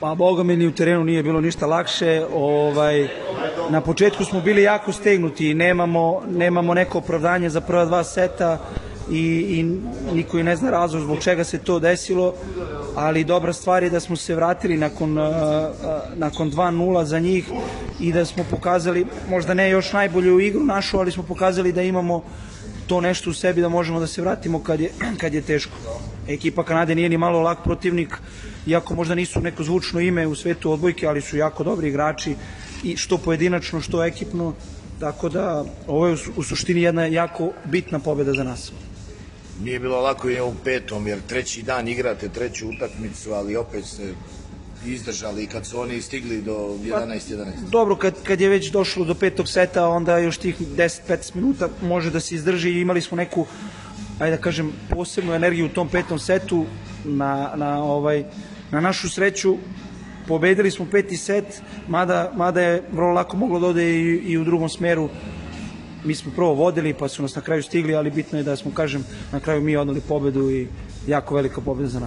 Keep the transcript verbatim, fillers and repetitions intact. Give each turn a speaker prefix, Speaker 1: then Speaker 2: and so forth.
Speaker 1: Pa boga mi ni u terenu nije bilo ništa lakše. Ovaj, na početku smo bili jako stegnuti i nemamo, nemamo neko opravdanje za prva dva seta i, i niko i ne zna razlog zbog čega se to desilo, ali dobra stvar je da smo se vratili nakon, uh, uh, nakon dva nula za njih i da smo pokazali, možda ne još najbolju igru našu, ali smo pokazali da imamo to nešto u sebi da možemo da se vratimo kad je, kad je teško. Ekipa Kanade nije ni malo lak protivnik, iako možda nisu neko zvučno ime u svetu odbojke, ali su jako dobri igrači, i što pojedinačno, što ekipno, tako da ovo je u suštini jedna jako bitna pobjeda za nas.
Speaker 2: Nije bilo lako i ovom petom, jer treći dan igrate treću utakmicu, ali opet ste izdržali i kad su oni stigli do jedanaest jedanaest.
Speaker 1: Pa, dobro, kad, kad je već došlo do petog seta, onda još tih deset do petnaest minuta može da se izdrži i imali smo neku, ajde da kažem, posebnu energiju u tom petom setu. Na, na, ovaj, na našu sreću pobedili smo peti set, mada, mada je vrlo lako moglo da ode i, i u drugom smeru. Mi smo prvo vodili, pa su nas na kraju stigli, ali bitno je da smo, kažem, na kraju mi odneli pobedu i jako velika pobeda za nas.